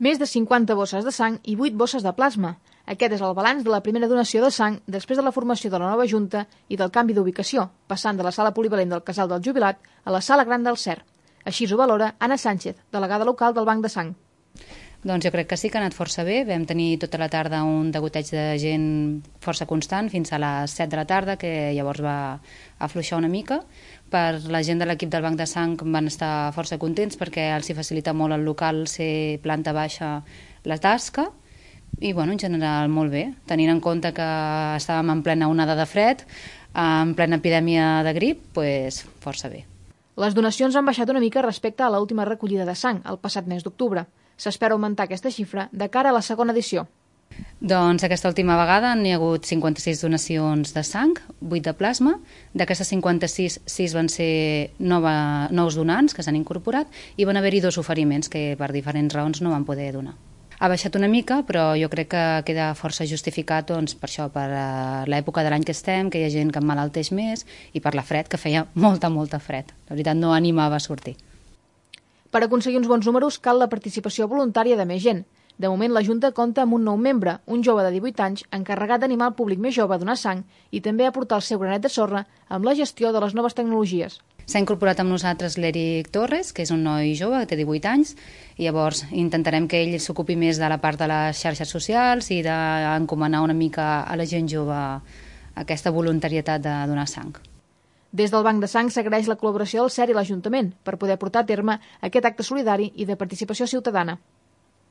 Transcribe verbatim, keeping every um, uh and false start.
Més de cinquanta bosses de sang i vuit bosses de plasma. Aquest és el balanç de la primera donació de sang després de la formació de la nova Junta i del canvi d'ubicació, passant de la sala polivalent del Casal del Jubilat a la sala gran del C E R. Així ho valora Anna Sánchez, delegada local del Banc de Sang. Doncs jo crec que sí que ha anat força bé. Vam tenir tota la tarda un degoteig de gent força constant fins a les set de la tarda, que llavors va afluixar una mica. Per la gent de l'equip del Banc de Sang van estar força contents perquè els hi facilita molt el local ser planta baixa la tasca i bueno, en general molt bé, tenint en compte que estàvem en plena onada de fred, en plena epidèmia de grip, doncs força bé. Les donacions han baixat una mica respecte a l'última recollida de sang, el passat mes d'octubre. S'espera augmentar aquesta xifra de cara a la segona edició. Doncs aquesta última vegada n'hi ha hagut cinquanta-sis donacions de sang, vuit de plasma. D'aquestes cinquanta-sis, sis van ser nova, nous donants que s'han incorporat i van haver-hi dos oferiments que per diferents raons no van poder donar. Ha baixat una mica, però jo crec que queda força justificat doncs, per això, per l'època de l'any que estem, que hi ha gent que emmalalteix més, i per la fred, que feia molta, molta fred. La veritat, no animava a sortir. Per aconseguir uns bons números cal la participació voluntària de més gent. De moment, la Junta compta amb un nou membre, un jove de divuit anys, encarregat d'animar el públic més jove a donar sang i també a aportar el seu granet de sorra amb la gestió de les noves tecnologies. S'ha incorporat amb nosaltres l'Eric Torres, que és un noi jove, que té divuit anys, i llavors intentarem que ell s'ocupi més de la part de les xarxes socials i d'encomanar una mica a la gent jove aquesta voluntarietat de donar sang. Des del Banc de Sang s'agraeix la col·laboració del C E R i l'Ajuntament per poder portar a terme aquest acte solidari i de participació ciutadana.